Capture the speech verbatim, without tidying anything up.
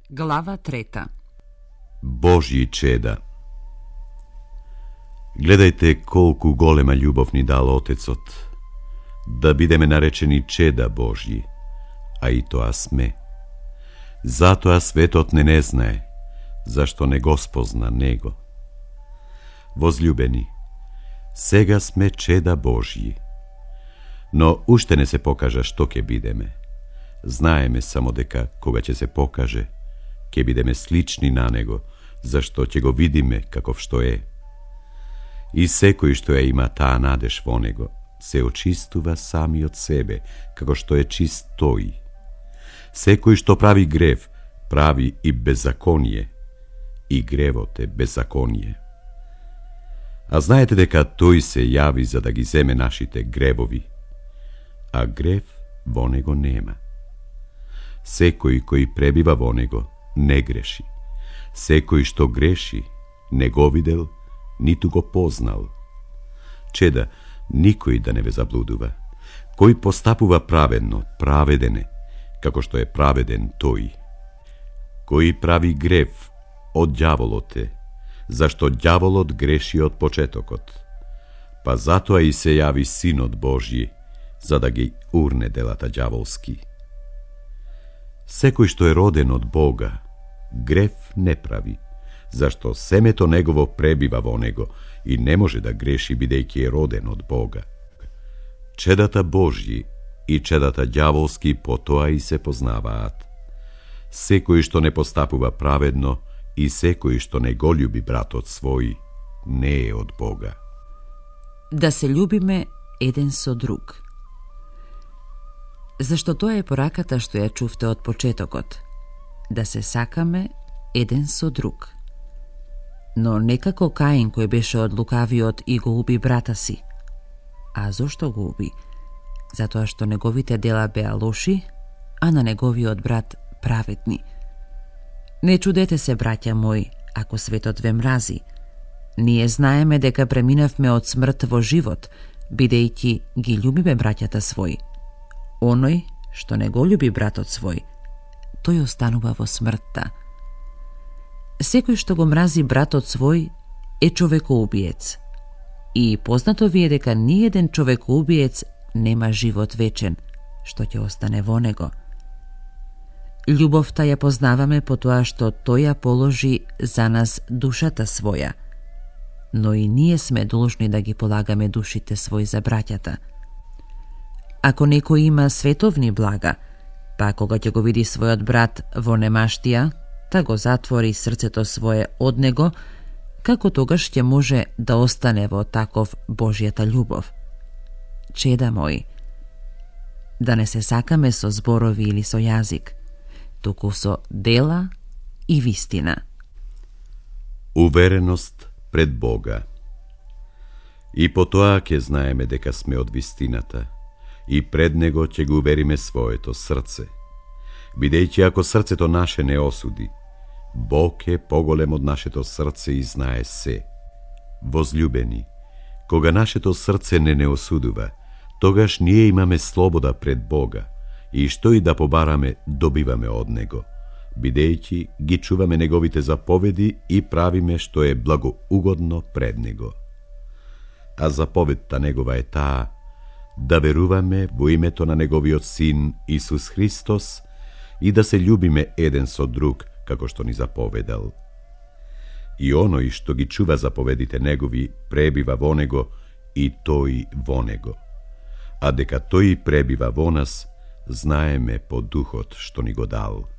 Глава трета. Божји чеда. Гледајте колку голема љубов ни дал Отецот, да бидеме наречени чеда Божји, а и тоа сме. Затоа светот не не знае, зашто не го спозна Него. Возљубени, сега сме чеда Божји, но уште не се покажа што ќе бидеме. Знаеме само дека кога ќе се покаже, ќе бидеме слични на Него, зашто ќе го видиме каков што е. И секој што ја има таа надеж во Него, се очистува сами од себе, како што е чист тој. Секој што прави грев, прави и беззаконие, и гревот е беззаконие. А знаете дека тој се јави за да ги земе нашите гревови, а грев во Него нема. Секој кој пребива во Него не греши. Секој што греши не го видел, ниту го познал. Чеда, никој да не ве заблудува. Кој постапува праведно, праведен е, како што е праведен тој. Кој прави грев, од ѓаволот е, зашто ѓаволот греши од почетокот. Па затоа и се јави Синот Божји, за да ги урне делата ѓаволски. Секој што е роден од Бога, грев не прави, зашто семето негово пребива во него и не може да греши бидејќи е роден од Бога. Чедата Божји и чедата ѓаволски по тоа и се познаваат. Секој што не постапува праведно и секој што не го љуби братот свој, не е од Бога. Да се љубиме еден со друг. Зашто тоа е пораката што ја чувте од почетокот, да се сакаме еден со друг. Но не како Каин кој беше од лукавиот и го уби брата си. А зошто го уби? Затоа што неговите дела беа лоши, а на неговиот брат праведни. Не чудете се, браќа мои, ако светот ве мрази. Ние знаеме дека преминавме од смрт во живот, бидејќи ги љубиме браќата свој. Оној што не го љуби братот свој, тој останува во смртта. Секој што го мрази братот свој е човекоубиец. И познато ви е дека ниеден човекоубиец нема живот вечен, што ќе остане во него. Љубовта ја познаваме по тоа што тој ја положи за нас душата своја, но и ние сме должни да ги полагаме душите свој за браќата. Ако некој има световни блага, па кога ќе го види својот брат во немаштија, та го затвори срцето свое од него, како тогаш ќе може да остане во таков Божјата љубов? Чеда мои, да не се сакаме со зборови или со јазик, туку со дела и вистина. Увереност пред Бога. И по тоа ќе знаеме дека сме од вистината, и пред Него ќе го увериме своето срце. Бидејќи ако срцето наше не осуди, Бог е поголем од нашето срце и знае се. Возљубени, кога нашето срце не не осудува, тогаш ние имаме слобода пред Бога и што и да побараме, добиваме од Него, бидејќи ги чуваме Неговите заповеди и правиме што е благоугодно пред Него. А заповедта Негова е таа, да веруваме во името на Неговиот Син Исус Христос и да се љубиме еден со друг, како што ни заповедал. И оној што ги чува заповедите Негови пребива во Него и тој во Него. А дека тој пребива во нас, знаеме по духот што ни го дал.